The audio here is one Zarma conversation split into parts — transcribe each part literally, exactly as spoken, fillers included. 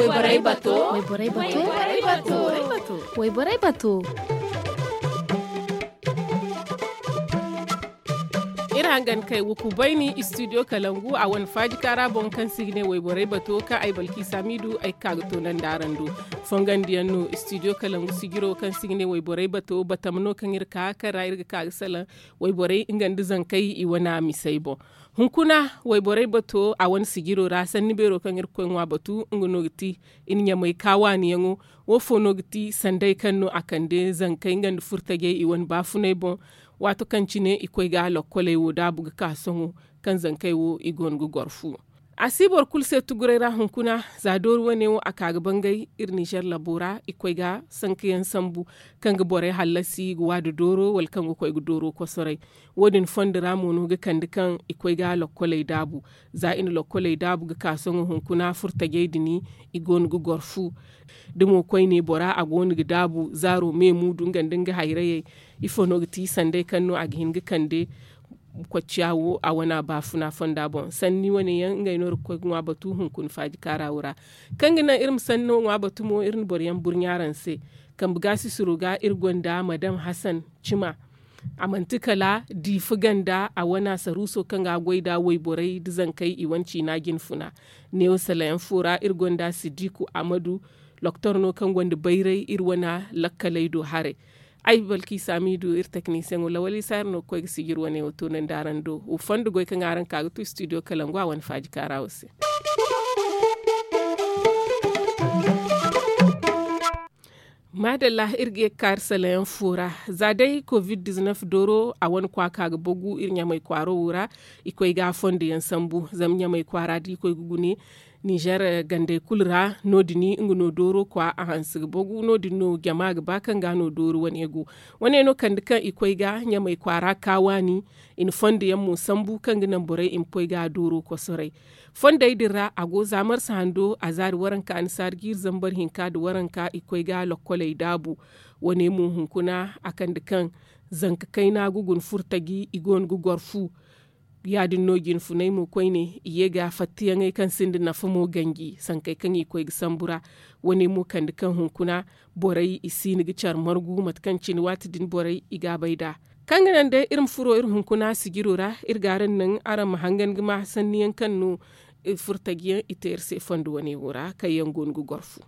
Wayborey bato. Wayborey bato. Wayborey bato. Iri hangan kay wuku bayni studio kalangu a wane faaji kaara boŋ kaŋ se i ga ne wayborey bato kaŋ ay balki samidu ay ga ka ga toonandi araŋ do. Fongandiyaŋ no studio kalangu sijiro kaŋ se i ga ne wayborey bato batama no kaŋ iri ka kaŋ ra iri ga ka ga salaŋ wayborey nga nda zankey i wane misey boŋ. Hunkuna wayborey bato a wane sijiro ra sanni beero kaŋ iri ga koy ŋwa batu nga no ga ti iri ɲamay ka waaniyaŋo. Wo fo no ga ti sanday kaŋ no a kande zankey nga nda furtajey i wane baafunay boŋ. Waato kaŋ cine i koy ga lokkoley wo daabu ga ka sohõ kaŋ zankey wo i goono ga goro fu. A si boro kulu se tuguray ra hunkuna za doori wane wo a ka ga bangay iri nizer labo ra i koy ga sankayaŋ sambu kaŋ ga borey hallasi ga waadu dooro wala kaŋ ga koy ga dooro kosoray. Wo- din fondo ra mo no ga kande kaŋ i koy ga lokkoley daabu. Za i na lokkoley daabu ga ka sohõ hunkuna furtajey din i goono ga goro fu. Da mo koyne bora a goono ga daabu zaaro me muudu nga nda nga hayrayey. Ifo no ga ti sanday kaŋ no a ga hin ga kande kocciya wo a wane a baafuna fonda boŋ sanni wane yaŋ ngey no iri ga koy ga ŋwa batu hunkuna faaji kaara wo ra. Kaŋ ga naŋ iri ma sanno ŋwa batu mo iri na boro yaŋ burɲa araŋ se. Kambe gaasisiro ga iri gonda madam hasan cima. A manti kala diifa ganda a wane a saruuso kaŋ ga goy nda wayborey nda zankey i wane ciina jinfuna. Neewo salayaŋ fo ra iri gonda siddiku amadu. Loktor no kaŋ gonda bayray iri wane lakkaley do haray. Ay balki saamidu iri teknisiyaŋo lawal isa iri no ga koy ga sijir wane wo toonandi araŋ do. Wa fondo goy kaŋ araŋ ka ga tu studio kalangu a wane faaji kaara wo se. Maadalla iri ga ye ga kaari salayaŋ fo ra. Za day covid dizinef dooro a wane kwaaka ga bagu iri ɲamay kwaaro wo ra. I koy ga a fondo yaŋ sambu zama ɲamay kwaara da i koy ga gune. Nizer gandey kulu ra no- din nga no dooro kwa a hanse ga bagu no- din no jama ga ba kaŋ ga no dooro wane go. Wane no kande kaŋ i koy ga ɲamay kwaara ka waani. I na fondo yaŋ mo sambu kaŋ ga naŋ borey i ma koy ga dooro kosoray. Fondey din ra a go za marsa hando a zaari waranka annasaari jiiri zambar hinka nda waranka i koy ga lokkoley daabu. Wane mo hunkuna a kande kaŋ zanka kayna ga guna furtaji i go no ga goro fu. Ya- din no jinfunay mo koyne i ye ga fattiyaŋey kaŋ sinda nafa mo ganji sankey kaŋ i koy ga sambu ra. Wane mo kande kaŋ hunkuna borey i siino ga care margu mate kaŋ cine waati din borey i ga a bay nd'a. Kaŋ ga naŋ day iri ma furo iri hunkuna sijiro ra iri ga araŋ naŋ araŋ ma hangan ga ma sanniyaŋ kaŋ no furtajiyaŋ i te iri se fondo wane wo ra kaŋ yaŋ go no ga goro fu.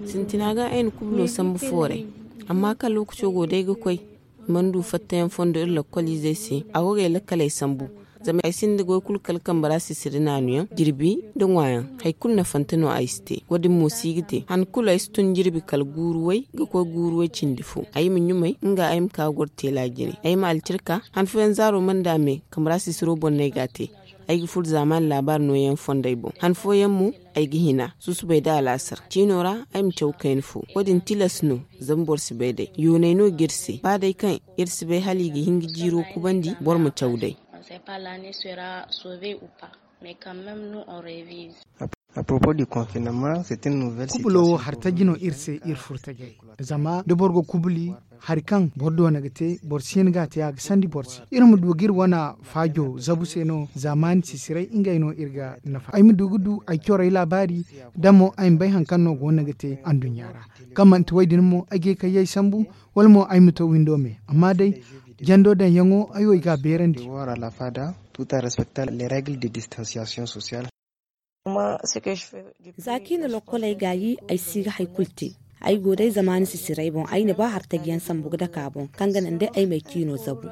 Sintina ga ay na kubulo sambu fooray. Amma kaŋ lookaco go day ga koy i mana du fattayaŋ fondo iri lakkoliizey se a go ga ay lakkaley sambu. Zama ay sinda goy kulu kala kambe ra sisiri naanuyaŋ jirbi nda ŋwaayaŋ. Hari kulu nafante no ay si te wo- din mo si ga te han kulu ay si tun jirbi kala guuru way ga koy guuru way cindi fo ay ma ɲumay nga ay ma ka goro teela jine ay ma alcirka. Han fooyaŋ zaaro mana da me kambe ra sisiro boŋ no ay ga a te. Ay ga furo zaamaani laabaari nooyaŋ fondey boŋ han fooyaŋ mo ay ga hina susubay nda alaasar ciino ra. Ay ma caw kayna fo wo- din tilas no. Zama boro si bay day yoonay no ga iri se ba day kaŋ iri si bay hala i ga hin ga jiiro kubandi boro ma caw day. Kubulo wo hari taji no iri se iri furo tajey. Zama da boro ga kubuli hari kaŋ boro doona ga te boro si hin ga a te a ga sandi boro se iri ma du ga iri wane faajo zabu se no zaamaani sisiray ngey no iri ga nafa ay ma du ga du ay corey laabaari. Da mo ay ma bay hari kaŋ no go no ga te anduɲɲa ra kaŋ manti wo- din mo ay ga ye kayyey sambu wala mo ay ma to windo me amma day jando daŋyaŋo ay wo ay ga a beerandi. Tout en respectant les règles de distanciation sociale. Za kaŋ i na lokkoley gaayi ay si ga hari kulu te. Ay go day zamaani sisiray boŋ ay na ba hartajiyaŋ sambu ga dake a boŋ kaŋ ga naŋ day ay ma ay ciino zabu.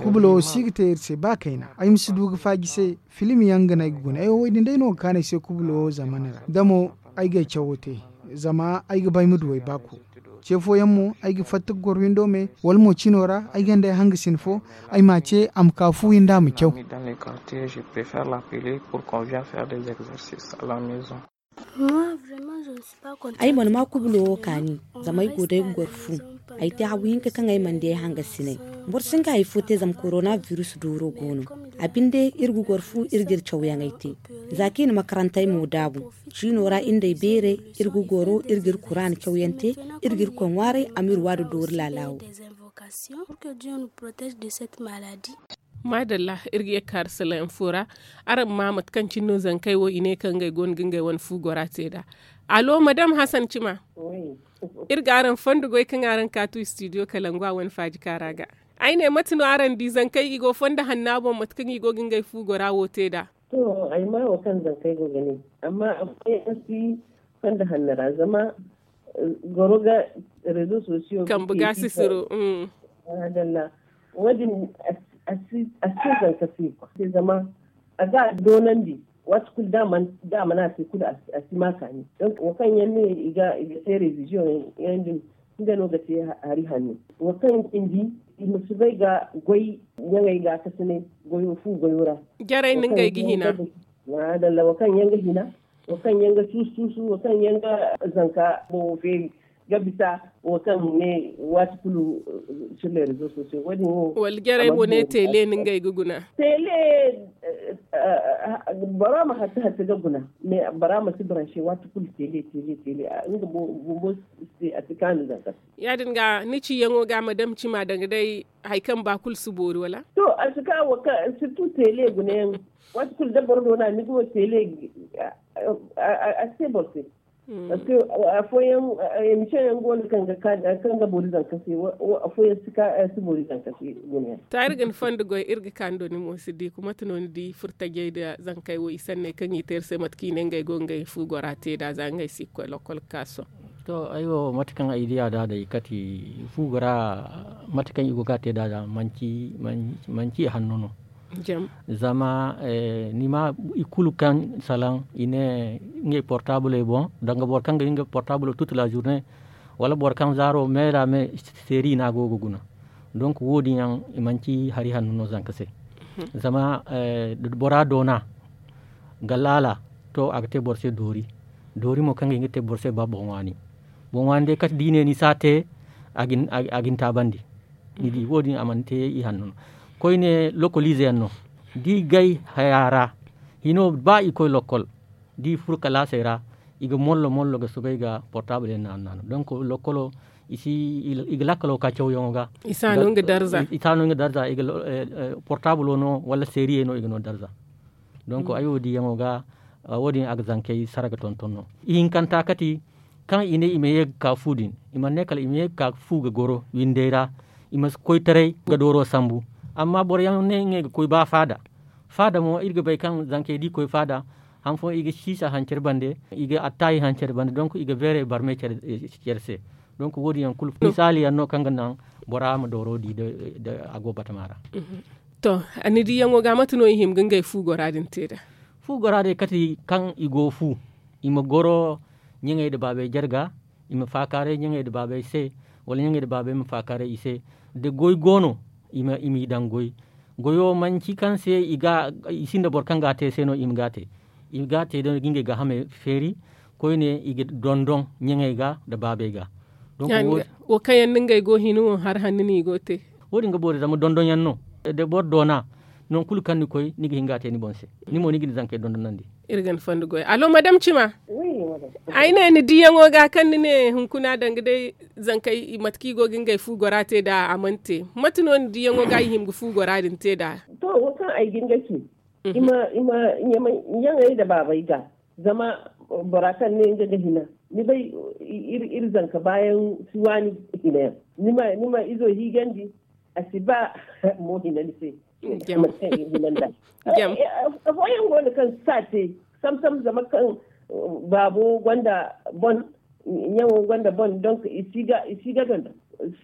Kubulo wo si ga te iri se ba kayna ay ma si du ga faaji se. Filim yaŋ ga no ay ga guna ay wo wo- din day no ga kaanu ay se kubulo wo zamana ra da mo ay ga ay cawo te. Zama ay ga ba ay ma du ay baako ce fooyaŋ mo ay ga fatta ga goro windo me wala mo cino ra ay gonda ay hangasin fo ay m'a ce a ma ka fu windo a ma caw. Ay mana ma kubulo wo kaani zama ay go day ga goro fu. Ay te hagu hinka kaŋ ay mana di ay hangasiney. Boro si hin ga hari fo te zama korona virus dooro go no. A binde iri ga goro fu iri ga iri cawyaŋey te. Za kaŋ i na makarantey mo daabu ciino ra iri nd'ey beerey iri ga goro iri ga iri kuraana cawyaŋ te. Iri ga irkoy ŋwaaray a ma iri waadu doori laalaawo. Maadalla. Iri ga ye ga ka arasallah yaŋ fo ra. Araŋ ma mate kaŋ cine no zankey wo i ne kaŋ ngey go no ga ngey wane fu gora te nd'a. Allo madam hasan cima. Iri ga araŋ fondo goy kaŋ araŋ kaatu istidiyo kalangu a wane faaji kaara ga. Ay ne mate no araŋ di zankey i go fondo hanna boŋ mate kaŋ i go ga ngey fu gora wo te nd'a? To, ay ma wo kaŋ zankey go ga ne, amma afooyaŋ si fondo hanno ra zama goro ga rezo sosiyo kambe ga sisiro. Maadalla. Wo- din a si te zanka se zama a ga a doonandi. Waati kulu da a mana te kulu a si ma kaani. Donk wo kaŋ yaŋ ne i ga te reviziyoŋ yaŋ din nga no ga te hari hanno. Wo kaŋ cindi i ma si bay ga goy ɲaŋey ga kasinay goyo fu goyo ra. Jarey no ngey ga hina. Maadalla wo kaŋ yaŋ ga hina, wo kaŋ yaŋ ga tuusu tuusu, wo kaŋ yaŋ ga zanka boŋo feeri ga bisa, wo kaŋ ne waati kulu sur les rezo sosiyo wo- din wo. Wala jarey mo ne teele no ngey ga guna. Teele bora ma hatta hatta ga guna. Mais bora ma si branche waati kulu teele teele teele. Nga bumbo se a si kaanu zanka se. Ya- din ga ni ciyaŋo ga madam cima danga day hari kaŋ ba kulu si boori wala? To a si ka wo kaŋ sirtu teele gunayaŋ. Waati kulu da boro doona ni ga wo teele a si te boro se. Parce que afooyaŋ emission yaŋ go no kaŋ ga ka kaŋ ga boori zanka se. Afooyaŋ si ka si boori zanka se gunayaŋ. To iri ga ni fondo goy iri ga ka ni do ni mo si di kuma mate no ni di furtajey nda zankey wo i sanney kaŋ i te iri se mate kaŋ i ne ngey go ngey fu gora te nd'a za ngey si ga koy lokkol ga ka sohõ. To ay wo mate kaŋ ay di a da day kate fu gora mate kaŋ i go ga a te nd'a manci hanno no. Zama ni ma i kulu kaŋ salaŋ i ne ngey portaabuley boŋ danga boro kaŋ ga hin ga portaabulo tutu la zurne wala boro kaŋ zaaro me ra me seeri no a go ga guna. Donk wo- din yaŋ i manci hari hanno no zanka se. Zama bora doona ga laala to a ga te boro se doori. Doori mo kaŋ ga hin ga te boro se ba boŋ waani. Boŋ waani day kate da i ne ni si a te a ga ni taabandi. Ni di wo- din a mana te i hanno no. Koyne lokoliize yaŋ no da i gay haya ra hino ba i koy lokkol da i furo kalaasey ra i ga mollo mollo ga soobay ga portaabul yaŋ naanu naanu donk lokkolo i ga lakkalo ka cawyaŋo ga. I si a no nga darza. Portaabulo no wala seeriyey no i ga no darza. Donk ay wo diyaŋo ga wo- din a ga zankey sara ga tonton no. Ihinkanta kate kaŋ i ne i ma ye ga ka fu din i mana ne kala i ma ye ga ka fu ga goro windey ra. I ma si koytaray ga dooro sambu. Amma boro yaŋ ne ngey ga koy ba faada. Faada mo iri ga bay kaŋ zankey da i koy faada han fooyaŋ i ga siisa hancari bande i ga attaayi hancari bande donk i ga beeray barmey care se. Donk wo- din yaŋ kulu misaali yaŋ no kaŋ ga naŋ bora ma dooro di a go batama ra. To ni diyaŋo ga mate no i hima ga ngey fu gora din te nd'a? Fu gora day kate kaŋ i go fu i ma goro ɲaŋey nda baabey jarga. I ma faakaaray ɲaŋey nda baabey se wala ɲaŋey nda baabey ma faakaaray i se. Da goy go no i m'i daŋ goy. Goyo manci kaŋ se i sinda boro kaŋ ga a te se no i ma ga a te. I ga a te day ga ngey gaahamey feeri koyne i ga dondon ɲaŋey ga nda baabey ga. Wo kaŋ yaŋ no ngey go hina wo hari hanno no i go ga te. Wo- din ga boori zama dondonyaŋ no da boro doona. Nangu kulu kaŋ ni koy ni ga hin ga a te ni boŋ se. Ni mo ni ga ni zankey dondonandi. Iri ga ni fondo goy allo madam cima. Ay ne ni diyaŋo ga kaŋ ni ne hunkuna danga day zankey mate kaŋ i go ga ngey fu gora te nd'a a mana te. Mate no ni diyaŋo ga i hima ga fu gora din te nd'a? To wo kaŋ ay ga ni ga ci i ma ɲaŋey nda baabey ga. Zama bora kaŋ ne nga ga hina ni bay iri zanka baayaŋ si waani hina yaŋ. Ni ma izo hiigandi a si ba mo hina ni se. Afooyaŋ go no kaŋ si a te sam sam zama kaŋ baabo gonda bon ɲaŋo gonda bon donk i si ga dondon.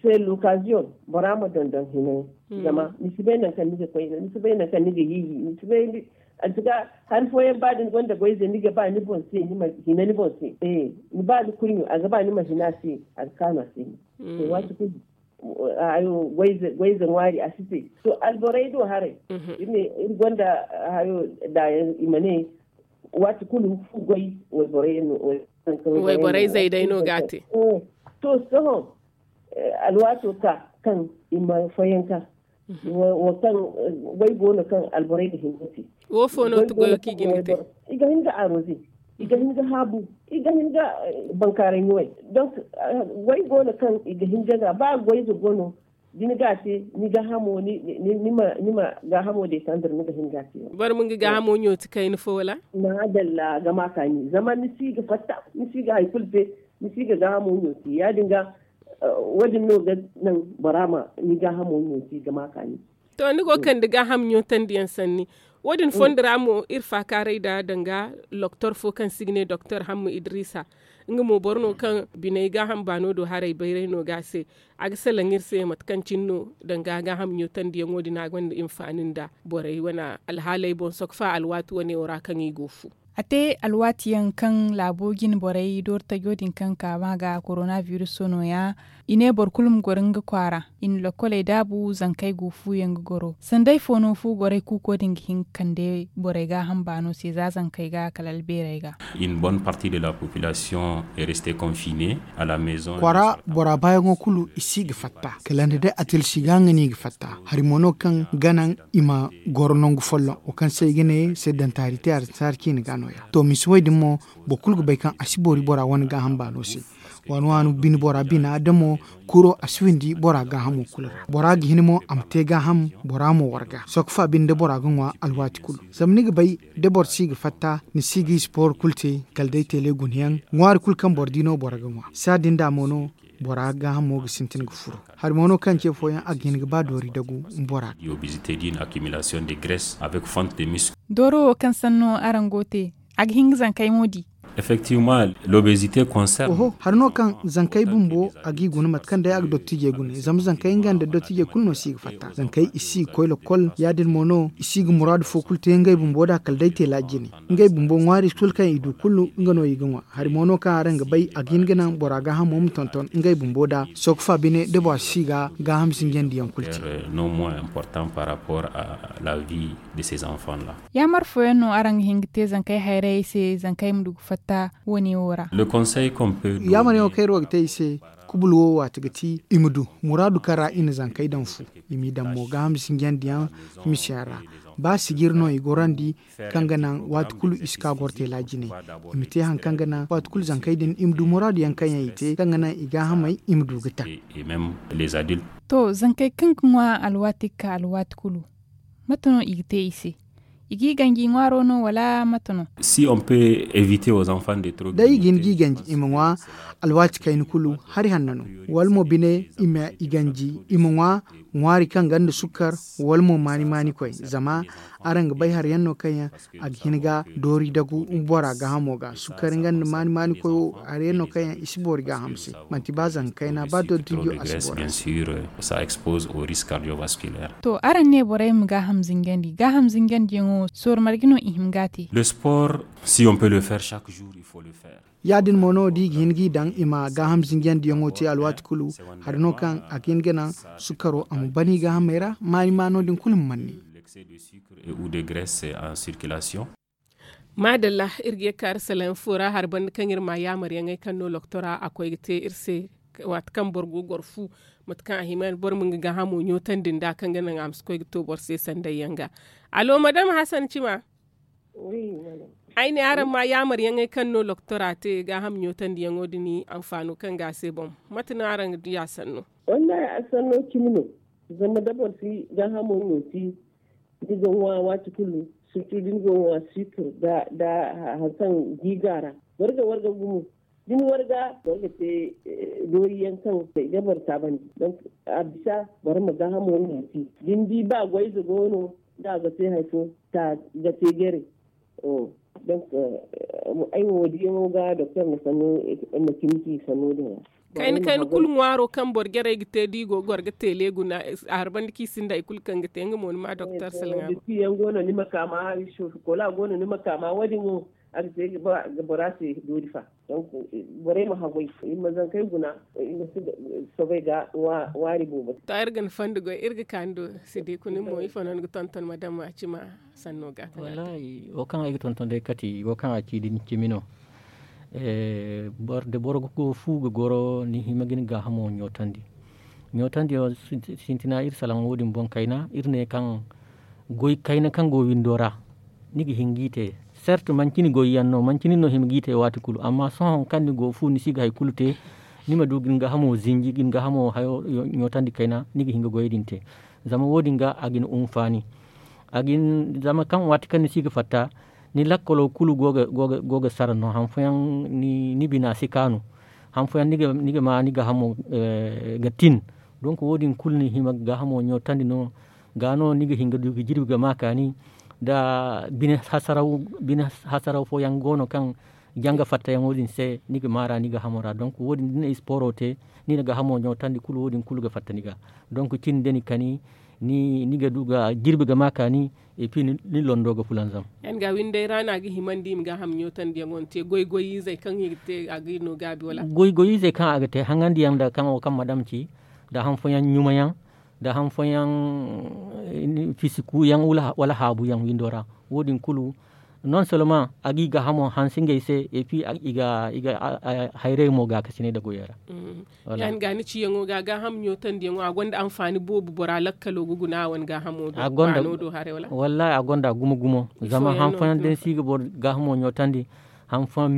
C'est l'occasion bora ma dondon hina yaŋ. Zama ni si bay nangu kaŋ ni ga koy ni si bay nangu kaŋ ni ga hiiji ni si bay. Anti ga hari fooyaŋ ba da ni gonda goy ize ni ga ba ni boŋ se ni ma hina ni boŋ se. Ni ba ni kurɲo a ga ba ni ma hina a se a ga kaanu a se. Waati kulu goy ize ŋwaari a si te. To alborey do haray iri gonda hayo daayaŋ i ma ne waati kulu fu goy wayborey no. Wayborey zey day no ga a te. To sohõ alwaato ka kaŋ i ma fooyaŋ ka wo kaŋ goy go no kaŋ alborey ga hin ga te. Wo fo no ti goyo kaŋ i ga hin ga te? I ga hin ga aroze. I ga hin ga haabu. I ga hin ga bankaaray ɲumay. Donk goy go no kaŋ i ga hin ga ga ba goy ize go no. Da ni ga a te ni gaahamo ni ma gaahamo deetandar ni ga hin ga a te. Boro ma nga gaahamo ɲooti kayna fo wala? Maadalla ga ma kaani zama ni si ga fatta ni si ga hari kulu te. Ni si ga gaahamo ɲooti ya- din ga wo- din no ga naŋ bora ma ni gaahamo ɲooti ga ma kaani. To ni go kande gaaham ɲootandi yaŋ sanni. Wo- din fondo ra mo iri faakaaray nd'a danga doktor fo kaŋ se i ga ne doktor hamma idrisa. Nga mo boro no kaŋ biney gaaham baano do haray bayray no ga a se. A ga salaŋ iri se mate kaŋ cine no danga gaaham ɲootandiyaŋo din a gonda hinfaani nda borey wane alhaaley boŋ sokfa alwaati wane wo ra kaŋ i go fu. A te alwaati yaŋ kaŋ laabo jine borey doori tajo din kaŋ ka ma ga korona biruso no- ya. I ne boro kulu ma goro nga kwaara. I na lokkoley daabu zankey go fu yaŋ ga goro sanda ifo no fu gorey kuuko din ga hin ga kande borey gaaham baano se za zankey ga kala albeerey ga. Une bonne partie de la population est restée confinée à la maison. Kwaara bora baayaŋo kulu i si ga fatta kala nda day atilsi ga nga no i ga fatta. Hari mo no kaŋ ga naŋ i ma goro nangu folloŋ wo kaŋ se i ga ne sedantaari te aransaari ciine ga no- ya to misa wo- din mo boro kulu ga bay kaŋ a si boori bora wane gaaham baano se. Waani waani bine bora bina da mo kuro a si windi bora gaahamo kulu ra bora ga hin mo a ma te gaaham. Bora mo warga sokfa binde bora ga ŋwa alwaati kulu. Zama ni ga bay da boro si ga fatta ni si ga i spor kulu te kala day tele guna yaŋ ŋwaari kulu kaŋ boro di no boro ga ŋwa saadin da mo no bora gaahamo ga sintin ga furo. Hari mo no kaŋ ce fooyaŋ a ga hin ga ba doori dagu bora ga. Dooro wo kaŋ sanno araŋ go te a ga hin ga zankey mo di. Effectivement l'obésité concerne. Oho hari no kaŋ zankey bumbo a g'i guna mate kaŋ day a ga dottijey guna zama zankey nga nda dottijey kulu no si ga fatta zankey i si ga koy lokol ya- din mo no i si ga muraadu fo kulu te ngey bumbo da kala day te laaji jine. Ngey bumbo ŋwaari kulu kaŋ i du kulu nga no i ga ŋwa. Hari mo no kaŋ araŋ ga bay a ga hin ga naŋ bora gaahamo ma tonton ngey bumbo da sooka fa bine da bora si ga gaaham sinjandi yaŋ kulu te. Yaamar fooyaŋ no araŋ ga hin ga te zankey hayrayey se zankey ma du ga fatta wo- ne wo ra? Yaamar yaŋo kaŋ iri wo ga te i se kubul wo waati ga ti i ma du muraadu kaŋ ra i na zankey daŋ fu. I m'i daŋ mo gaaham sinjandi yaŋ misiyaŋ ra. Ba sijir no i gorandi kaŋ ga naŋ waati kulu i si ka goro teela jine. I ma te hari kaŋ ga naŋ waati kulu zankey din i ma du muraadu yaŋ kaŋ yaŋ i te kaŋ ga naŋ i gaahamey i ma du ga taŋ. To zankey kaŋ ga ŋwa alwaati ga ka alwaati kulu mate no i ga te i se? I g'i ganji ŋwaaro no wala mate no? Si on pe evite aux enfants de trop day i ga hin g'i ganji i ma ŋwa alwaati kayna kulu hari hanno no wala mo bine i ma i ganji i ma ŋwa ŋwaari kaŋ gonda sukkar wala mo maani maani koy zama araŋ ga bay hari yaŋ no kaŋ yaŋ a ga hin ga doori dagu bora gaahamo ga sukkar nga nda maani maani koy wo hari yaŋ no kaŋ yaŋ i si boori gaaham se. Manti ba zanka kayna ba doori tinjo a si boori a se. To araŋ ne borey ma gaaham zinjandi gaaham zinjandi yaŋo sorro marje no i hima ga a te? Le sport si on pe le faire chaque jour il faut le faire. Ya- din mo no da i ga hin g'i daŋ i ma gaaham zinjandi yaŋo te alwaati kulu. Hari no kaŋ a ga hin ga naŋ sukkaro a ma ban i gaahamey ra maani maano din kulu ma manni. Maadalla iri ga ye ga kaari salaŋ fo ra hari banda kaŋ iri ma yaamar yaŋey kaŋ no loktora a koy ga te iri se. Waati kaŋ boro go goro fu mate kaŋ a hima boro ma nga gaahamo ɲootandi nda kaŋ ga naŋ a ma si koy ga to boro se sanday yaŋ ga. Allo madama hasan cima. Ay ne araŋ ma yaamar yaŋey kaŋ no loktora te gaaham ɲootandi yaŋo din anfaano kaŋ ga a se boŋ? Mate no araŋ ga di a sanno? Wallahi a sanno cimi no. Zama da boro si gaahamo ɲooti ni ga ŋwa waati kulu surtu da ni ga ŋwa sikir da hari kaŋ gi ga a ra. Warga warga gumo da ni warga boro ga te doori yaŋ kaŋ i ga boro taabandi. Donk a bisa boro ma gaahamo ɲooti da ni di ba goyze go no da a ga te hari fo ta ga te jare. Donk ay wo wo diyaŋo ga doktor na sanno ma cimi ci sanno din ra. Kayna kayna kulu ŋwaaro kaŋ boro jarey ga te da i go ga goro ga teele guna a harbandi kaŋ i sinda hari kulu kaŋ ga te nga mo ni ma doktor salŋa. Yaŋ go no ni ma ka ma hari soofi kola go no ni ma ka ma wo- din wo a ga te ga bora se doori fa. Donk borey ma haggoy i ma zankey guna i ma si sobey ga ŋwaari boobo. To iri ga ni fondo goy iri ga ka ni do. Sidiku nin mo ifo no ni ga tonton madama cima sanno ga? Wallaahi wo kaŋ ay ga tonton day kati wo kaŋ a ci din cimi no. Da boro ga go fu ga goro ni hima ga ni gaahamo ɲootandi. Ɲootandi wo sintina iri salaŋ wo- din boŋ kayna iri ne kaŋ goy kayna kaŋ go windo ra. Ni ga hin g'i te sert manci ni goy yaŋ no manci nin no hima g'i te waati kulu amma sohõ kaŋ ni go fu ni si ga hari kulu te. ni ma du ga ni gaahamo zinji ga ni gaahamo hayo ɲootandi kayna ni ga hin ga goyey din te. Zama wo- din ga a ga ni unfaani. Zama kaŋ waati kaŋ ni si ga fatta ni lakkalo kulu go ga sara no han fooyaŋ ni bina si kaanu. Han fooyaŋ ni ga ma ni gaahamo ga tin. Donk wo- din kulu ni hima ga gaahamo ɲootandi no. Ga no ni ga hin ga du ga jirbi ga ma kaani. Da bine hasaraw fooyaŋ go no kaŋ janga fattayaŋo din se ni ga maara ni gaahamo ra donk wo- din da ni na isporo te ni na gaahamo ɲootandi kulu wo- din kulu ga fatta ni ga. Donk cin da ni kani ni ga du ga jirbi ga ma kaani. Epi ni londo ga fulanzam. Yaŋ ga windey ra no a ga himandi i ma gaaham ɲootandiyaŋo ni te goy-goy izey kaŋ i ga te a ga no gaabi wala? Goy-goy izey kaŋ a ga te haŋandiyaŋ nda kaŋ wo kaŋ madam ci nda han fooyaŋ ɲumayaŋ nda han fooyaŋ fisikuyaŋ wala haabuyaŋ windo ra. Wo- din kulu non soloma a ga i gaahamo hanse ngey se epi i ga hayray mo gaakasinay nda goyey ra. Yaŋ ga ni ciyaŋo ga gaaham ɲootandiyaŋo a gonda anfaani boobo bora lakkalo ga guna a wane gaahamo do baano do haray wala? Wallahi a gonda gumo-gumo. Zama han fooyaŋ da ni si ga boro gaahamo ɲootandi han fooyaŋ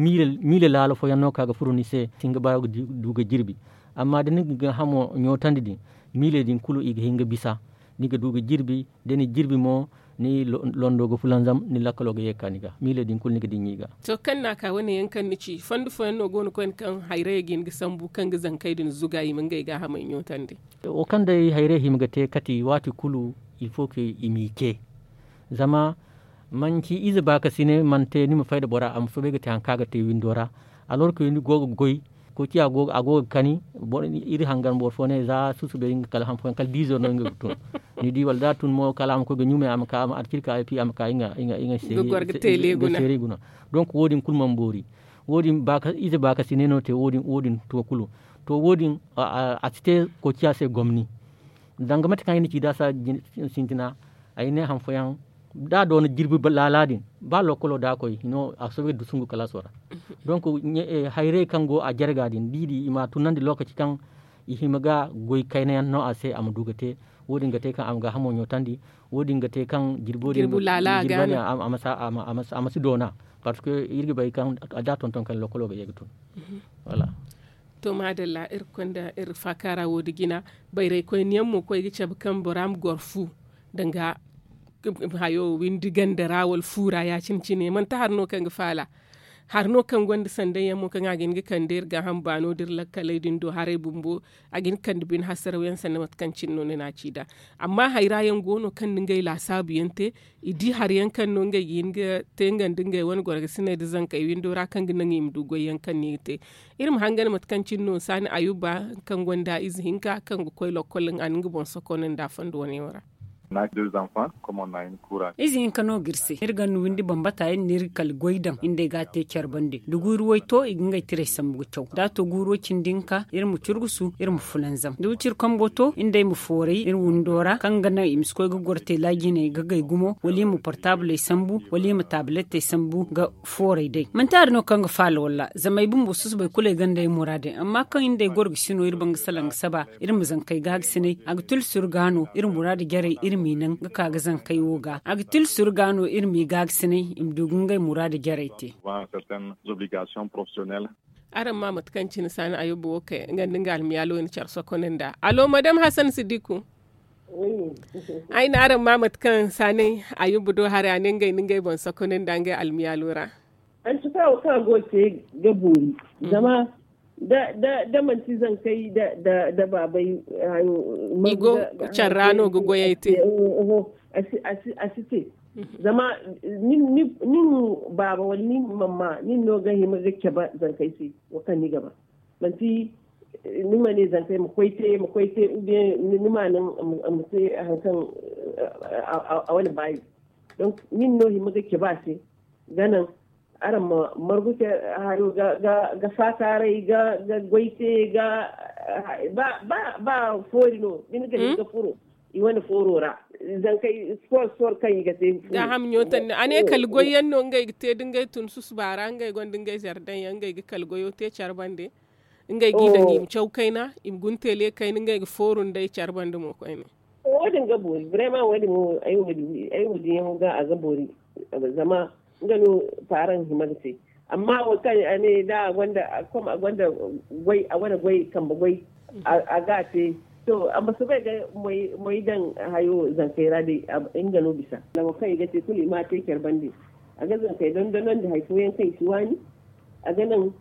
miila laalo fooyaŋ no ka ga furo ni se si hin ga ba ga du ga jirbi. Amma da ni ga gaahamo ɲootandi din miiley din kulu i ga hin ga bisa. Ni ga du ga jirbi da ni jirbi mo ni londo ga fulanzam ni lakkalo ga ye ga ka ni ga miiley din kulu ni ga dinya i ga. To kaŋ no a ka wane yaŋ kaŋ ni ci fondo fooyaŋ no go no koyne kaŋ hayrayey ga hin ga sambu kaŋ ga zankey din zuga i ma ngey gaahamey ɲootandi? Wo kaŋ day hayray hima ga te kati waati kulu il faut que i m'i ce. Zama manci ize baakasinay mana te ni ma fay nda bora a ma soobay ga te hari kaŋ a ga te windo ra. Alors que ni go ga goy koociya a go ga kani. Iri hangan boro fo ne za susubay nga kala han fooyaŋ kala diizo no nga ga tun. Ni di wala da a tun mo kala a ma koy ga ɲumay a ma ka a ma alcirka a ma ka nga seeray guna. Donk wo- din kulu mana boori. Wo- din ize baakasinay no te wo- din to kulu. To wo- din a si te koociya se gomni. Danga mate kaŋ ay na ci da a si sintina ay ne han fooyaŋ da a doona jirbi laala din ba lookolo da a koy hino a soobay ga dusungu kalaaso ra. Donk hayrey kaŋ go a jarga din da i di i m'a tunandi lookaci kaŋ i hima ga goy kayna yaŋ no a se a ma du ga te. Wo- din ga te kaŋ a ma gaahamo ɲootandi. Wo- din ga te kaŋ jirbo din a ma si doona. Parce que iri ga bay kaŋ da a tonton kayna lookolo ga ye ga tun. To maadalla iri ga konda iri faakaara wo- din jina. Bayraykoyniyaŋ mo koy ga cabe kaŋ bora ma goro fu danga hayo windi ganda ra wala fu ra ya- cine cine manti hari no kaŋ ga faala. Hari no kaŋ gonda sandayyaŋ mo kaŋ a ga hin ga kande iri gaaham baano da iri lakkaley din do haray bumbo. A ga hin ga kande bine hasaraw yaŋ sanda mate kaŋ cine no ni na a ci nd'a. Amma hayra yaŋ go no kaŋ na ngey laasaabu yaŋ te. I di hari yaŋ kaŋ no ngey ga hin ga te nga nda ngey wane gorgasiney nda zankey windo ra kaŋ ga naŋ i ma du goy yaŋ kaŋ no i ga te. Iri ma hangan mate kaŋ cine no saani ayuba kaŋ gonda ize hinka kaŋ ga koy lokkol a na nga boŋ sokon nd'a fondo wane yaŋ ra. Ize hinka no ga iri se iri ga ni windi bambata iri na iri kala goy daŋ iri nd'ey ga a te care bande da guuru way to i ga ngey tiray sambu ga caw da a to guuro cindi hinka iri ma curgusu iri ma fulanzam da wiciri kambo to iri nd'ey ma fooray iri windo ra kaŋ ga naŋ i ma si koy ga goro teela jinay ga gay gumo wala i ma portabley sambu wala i ma tabletey sambu ga fooray day manti hari no kaŋ ga faala walla zama ay bumbo susubay kulu ay gonda ay muraadey amma kaŋ iri nd'ey goro ga si no iri baŋ ga salaŋ ga saba iri ma zankey gaagasinay a ga tila suru ga no iri muraadu jarey iri m'i naŋ ga ka ga zankey wo ga a ga tila suru ga no iri m'i gaagasinay i ma du ga ngey muraadu jarey te. Araŋ ma mate kaŋ cine saani ayuba wo kay nga nda nga almiyaalo ni care sokoney nd'a alo madame hasan sidiku. Ay ne araŋ ma mate kaŋ saani ayuba do haray a ne ngey na ngey boŋ sokoney nd'a ngey almiyaalo ra. Antuka wo kaŋ a go ga te ga boori zama da manti zankey da baabey hayo i go care ra no ga goyey te. A si te zama nin baaba wala nin mamma nin no ga hima ga cabe zankey se wo kaŋ ni ga ba manti ni ma ne zankey ma koy te ma koy te oubien ni ma naŋ a ma te hari kaŋ a wane baayi. Donc nin no hima ga cabe a se ga naŋ araŋ ma margu care hayo ga faakaaray ga goy te ga ba foori no da ni ga hin ga furo i wane fooro ra zankey sport sport kaŋ i ga te. Gaaham ɲootandi a ne kala goy yaŋ no ngey ga te da ngey tun susuba ra ngey gonda ngey zardaŋ yaŋ ngey ga kala goyo te care bande ngey g'i daŋ i ma caw kayna i ma guna teele kayna ngey ga fooru nd'ey care bande mo koyne. Wo- din ga boori vraiment wo- din mo ay wo- din yaŋo ga a ga boori zama nga no paaraŋ hima ga te. Amma wo kaŋ a ne da a gonda a gonda goy a wane goy kambe goy a ga a te. To amma soobay ga moy daŋ hayo zankey ra day. Nga no bisa lawo kaŋ i ga te kulu i ma a te care bande. A ga zankey dondonandi hari fooyaŋ kaŋ i si waani a ga naŋ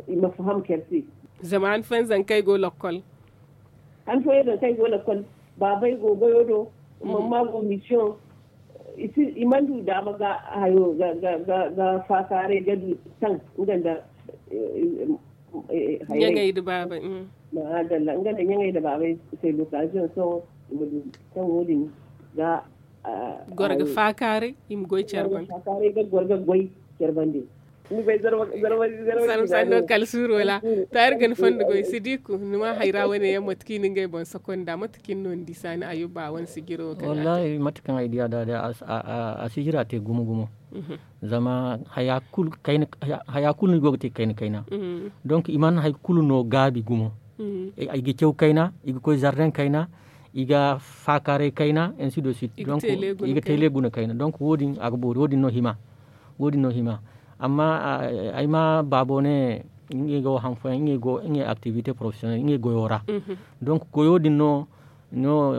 i ma faham care se. Zama han fooyaŋ zankey go lokkol han fooyaŋ zankey go lokkol baabey go goyo do. Mamma go mission i mana du daama ga hayo ga faakaaray ga du taŋ nga nda ɲaŋey nda baabey. Maadalla nga nda ɲaŋey nda baabey se lokaziyoŋ sohõ i ma du taŋ wo- din ga goro ga faakaaray i ma goy care bande. Ga goro ga goy care bande. Ni bay zarma zarma zarma zarma sanno kala suuro ra. To ay ra ga ni fondo goy sidiku ni ma hayra wane yaŋ mate kaŋ i na ngey boŋ sokonda mate kaŋ ni no ni di saani ayuba wane sijiro kaŋ a te. Wallahi mate kaŋ ay diya da day a si hira te gumo gumo. Zama haya kulu ni go ga te kayna kayna. Donc i mana hari kulu no gaabi gumo. I ga caw kayna i ga koy zarden kayna i ga faakaaray kayna ainsi de suite donc i ga tele guna kayna donc wo- din a ga boori wo- din no hima. Amma ay ma baabo ne ngey ga wo han fooyaŋ ngey activité professionnel ngey goyo ra. Donc goyo din no no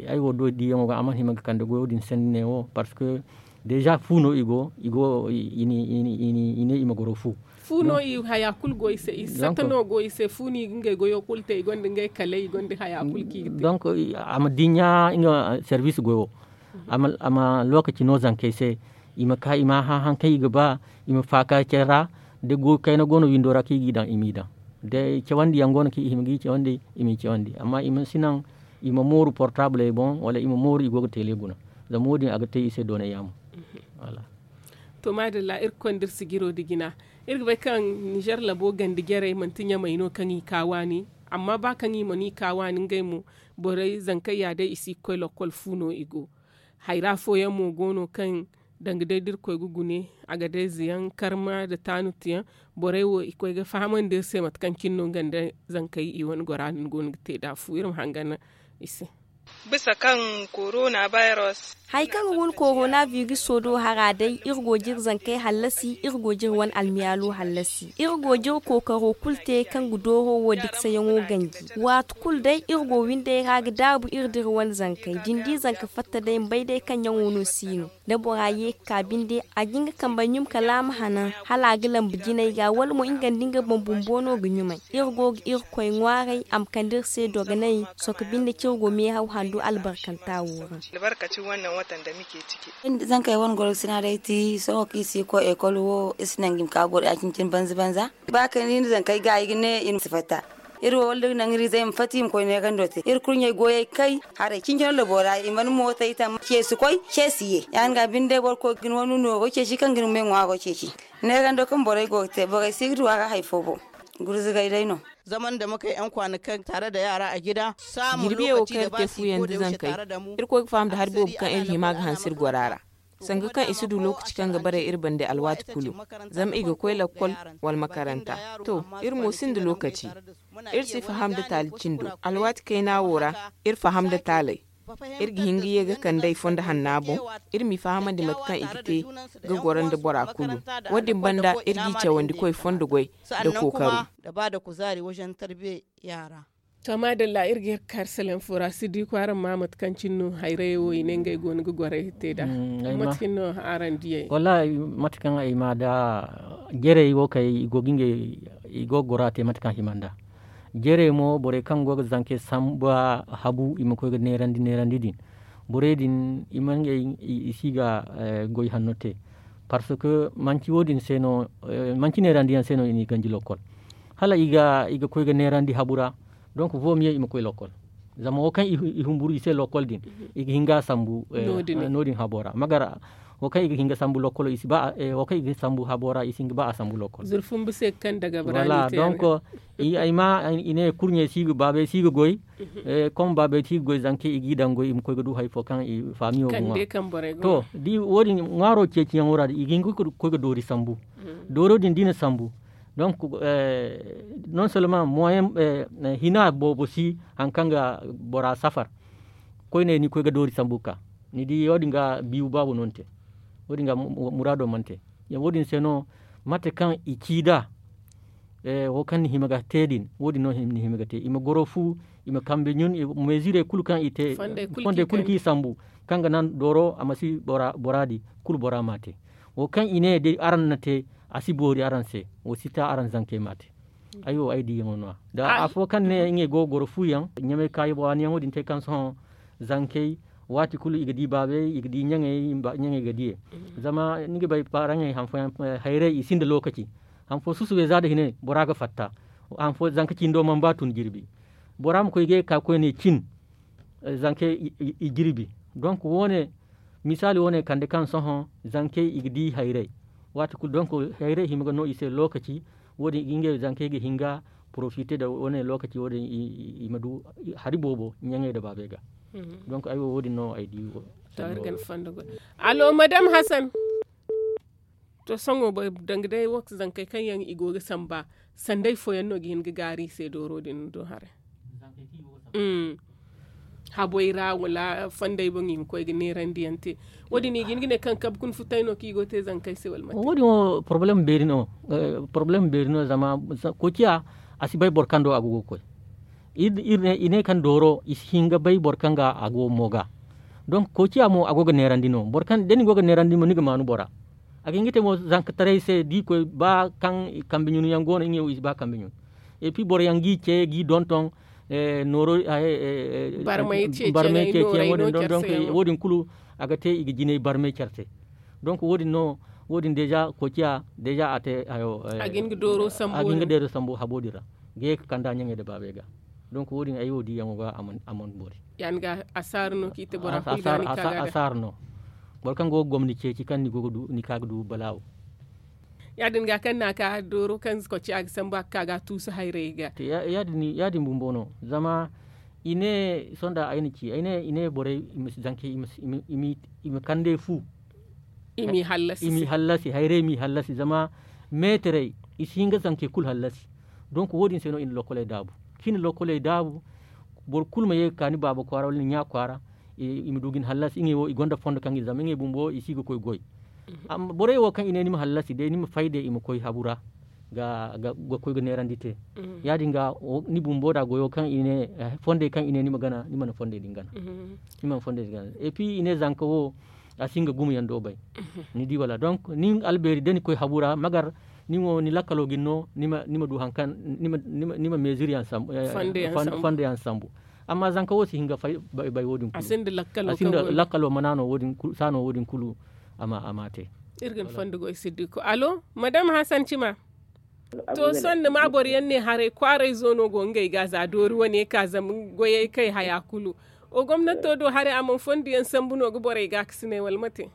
ay wo do diyaŋo ga a mana hima ga kande goyo din sanni ne wo parce que déjà fu no i go i go i ne i ma goro fu. Fu no i haya kulu go i se i satta no go i se fu no i ga ngey goyo kulu te i gonda ngey kale i gonda haya kulu kaŋ i ga te. Donc a ma dinya nga service goyo a ma lokaci no zankey se i ma ka i ma hã haŋ kaŋ i ga ba i ma faaka care ra. Da goy kayna go no windo ra kaŋ i g'i daŋ i m'i daŋ da cawandi yaŋ go no kaŋ i hima g'i cawandi i m'i cawandi amma i ma si naŋ i ma mooru portabley boŋ wala i ma mooru i go ga tele guna. Zama wo- din a ga te i se doonay yaamo. To maadalla iri ga konda iri sijiro nda jina iri ga bay kaŋ nizer labo ganda jarey manti ɲamey no kaŋ i ka waani. Amma ba kaŋ i mana i ka waani ngey mo borey zankey ya day i si ga koy lokkol fu no i go. Hayra fooyaŋ mo go no kaŋ danga day da iri koy ga gune a ga day zeyaŋ karma nda taanuti yaŋ. Borey wo i koy ga fahamandi iri se mate kaŋ cine no nga nda zankey i wane gora no ni go no ga te nd'a fu iri ma hangan i se. Bisa kaŋ korona bayros hari kaŋ ga guna korona biriso do hara day iri go ga iri zankey hallasi iri go ga iri wane almiyaalo hallasi iri go ga iri kookaro kulu te kaŋ ga dooro wo diksayaŋo ganji. Waati kulu day iri go windey ra ga daabu iri da iri wane zankey da ni di zanka fatta day ma bay day kaŋ ɲaŋo no si no da bora ye ga ka binde a ga hin ga kambe ɲum kala a ma hanan hala a ga lambu jinay ga wala mo nga nda nga boŋ bumbo no ga ɲumay. Iri go ga irkoy ŋwaaray a ma kande iri se dogonay sohõ binde kaŋ iri go meehaw handu albarkanta wo ra. Zankey wane goro ga sina day ti sohõ kaŋ i si ga koy ekol wo iri si naŋ i ma ka boro ya cine cine banza banza. Ba kaŋ iri na zankey gaayi ga ne i ma si fatta. Iri wo wala da naŋ iri izey ma fatta i ma koy neerando te iri kurɲey goyey kay haray cincino labo ra i mana mootey taŋ ceesi koy ceesi ye ya- din ga binde boro koy ga ni wane nooro ceeci kaŋ ga ni me ŋwaaro ceeci. Neerando kaŋ borey go ga te borey si ga du a ra hari fo boŋ. Gurzugay day no. Zaman da makay yaŋ kwaana kaŋ tare da yaara a gida. Jirbiyaŋ wo kaŋ iri te fuyaŋ nda zankey iri koy ga faham nda hari boobo kaŋ iri hima ga hanse iri gora ra. Sanga kaŋ i si du lookaci kaŋ ga bare iri bande alwaati kulu zama i ga koy lakkol wala makaranta. To, iri mo sinda lookaci. Iri si faham nda taali cindo alwaati kayna wo ra. Iri faham nda taaley iri ga hin ga ye ga kandey fondo hanna boŋ. Iri m'i fahamandi mate kaŋ i ga te ga goro nda bora kulu. Wo- din banda iri g'i cawandi koy fondo goy nda kookaro. Da ba da kuzaari wajen tarbiya yaara. To maadalla iri ga iri ga kar salaŋ fo ra si di kwaaraŋ ma mate kaŋ cine no hayrayey wo i ne ngey go no ga gorey te nd'a. Mate cine no araŋ diyey? Wallahi mate kaŋ ay ma da jerey wo kay i go ga ngey i go ga gora te mate kaŋ hima nd'a. Jerey mo borey kaŋ go ga zankey samba habu i ma koy ga neerandi neerandi din. Borey din i ma ngey i si ga goy hanno te. Parce que manci wo- din se no manci neerandiyaŋ se no i n'i ganji lokkol. Hala i ga koy ga neerandi habu ra. Donc fo miye i ma koy lokkol. Zama wo kaŋ i humburu i se lokkol din i ga hin ga a sambu no- din habo ra magara. Wo kaŋ i ga hin ga sambu lokkolo i si ba wo kaŋ i ga sambu habo ra i si hin ga ba a sambu lokkol. Zurfumbu se ga kaŋ daga bra ni te a ga. Donc ay ma i ne kurɲey si ga baabey si ga goy. Comme baabey si ga goy zanka i g'i daŋ goy i ma koy ga du hari fo kaŋ i faamiyo ga ŋwa. To da wo- din ŋwaaro ceeciyaŋo ra i ga hin ga koy ga doori sambu. Dooro din da i na sambu donc non seulement moyen hina boobo si hari kaŋ ga bora safar. Koyne ni koy ga doori sambu ga ka ni di wo- din ga biibu baabo no ni te. Wo- din ga muraado mana te. Wo- din se no Mate kaŋ i ci nd'a, wo kaŋ ni hima ga te din, wo- din no ni hima ga te. I ma goro fu, i ma kambe ɲun, mezirey kulu kaŋ i te, fondey kulu kaŋ i sambu, kaŋ ga naŋ dooro a ma si bora di, kulu bora m'a te. Wo kaŋ i ne day araŋ na te, a si boori araŋ se. Wo si ta araŋ zankey m'a te. Ay wo ay diyaŋo no- ya da afo kaŋ ne ngey go ga goro fuyaŋ ɲamay kaayi waaniyaŋo din te kaŋ sohõ zankey, waati kulu i ga di baabey, i ga di ɲaŋey ga diye. Zama ni ga bay paaraŋey hayrey i sinda lookaci. Han fo susubey za nda hine bora ga fatta. Han fo zanka cindo mana ba tun jirbi. Bora ma koy ga ye ka koyne cin, zankey i jirbi. Donk wo- ne misaali wo- ne kande kaŋ sohõ zankey i ga di hayrey. Waati kulu donk hayrey hima ga no i se lookaci. Wo- din ngey zankey ga hin ga porofite nda wo- ne lookaci wo- din i ma du hari boobo ɲaŋey nda baabey ga. Donk ay wo wo- din no ay di wo. Alo madam hasan. To sohõ danga day wo ga zankey kaŋ yaŋ i go ga samba, sanday fooyaŋ no ga hin ga gaari i se dooro din do haray. Haboy ra wala fonday boŋ i ma koy ga neerandi yaŋ te. Wo- din i ga hin ga ne kaŋ kabe kuna futay no kaŋ i go ga te zankey se wala mate? Wo- din wo porobalem beeri no. Porobalem beeri no zama koociya a si bay boro kaŋ do a go ga koy. I ne kaŋ dooro i si hin ga bay boro kaŋ ga a go mo ga. Donk koociya mo a go ga neerandi no boro kaŋ da ni go ga neerandi mo ni ga maanu bora. A ga hin ga te mo zankataray se da i koy ba kaŋ kambe ɲun yaŋ go no ngey wo i si ba kambe ɲun. Epi boro yaŋ g'i ce g'i donton nooro barmay ceeciyaŋ wo- din donk wo- din kulu a ga te i ga jinay barmay care se. Donk wo- din no wo- din deeza koociya deeza a te hayo a ga hin ga deero sambu habo din ra ga ye ga kanda ɲaŋey nda baabey ga. Donk wo- din ay wo diyaŋo ga a mana boori. Yaŋ ga asaara no kaŋ i te bora kulu ga ni ka ga da asaara no. Boro kaŋ go ga gomni ceeci kaŋ ni ka ga du balaawo. Ya- din ga kaŋ na ka dooro kaŋ koociya ga sambu a ga ka ga a tuusu hayrey ga. Ya- din bumbo no zama i ne sonda ay na ci ay ne i ne borey i ma si zankey i ma kande fu. I m'i hallasi hayrey m'i hallasi zama meetarey i si hin ga zankey kulu hallasi. Donk wo- din se no i na lokkoley daabu kaŋ i na lokkoley daabu. Boro kulu ma ye ga ka ni baaba kwaara wala ni ɲa kwaara. I ma du ga ni hallasi ngey wo i gonda fondo kaŋ ga i zama ngey bumbo i si ga koy goy. Borey wo kaŋ i ne ni ma hallasi day ni ma fay day i ma koy habu ra ga koy ga neerandi te. Ya- din ga ni bumbo da goyo kaŋ i ne fondey kaŋ i ne ni ma gana ni mana fondey din gana. Ni mana fondey din gana epi i ne zanka wo a si nga gumo yaŋ do bay. Ni di wala donk nin albeeri da ni koy habu ra magar ni wo ni lakkalo ga ni no ni ma du hari kaŋ ni ma meezir yaŋ sambu fonde yaŋ sambu. Amma zanka wo si hin ga fay bay wo- din kulu a sinda lakkalo mana no wo- din kulu a ma te. Iri ga ni fondo goy siddiku alo madam hasan cima. To sohõ ni ma boro yaŋ ne haray kwaaray zo no go ngey ga za doori wane ka zama goyey kay haya kulu. O gomnato do haray a mana fondo yaŋ sambu no ga borey ga a kasinay wala mate?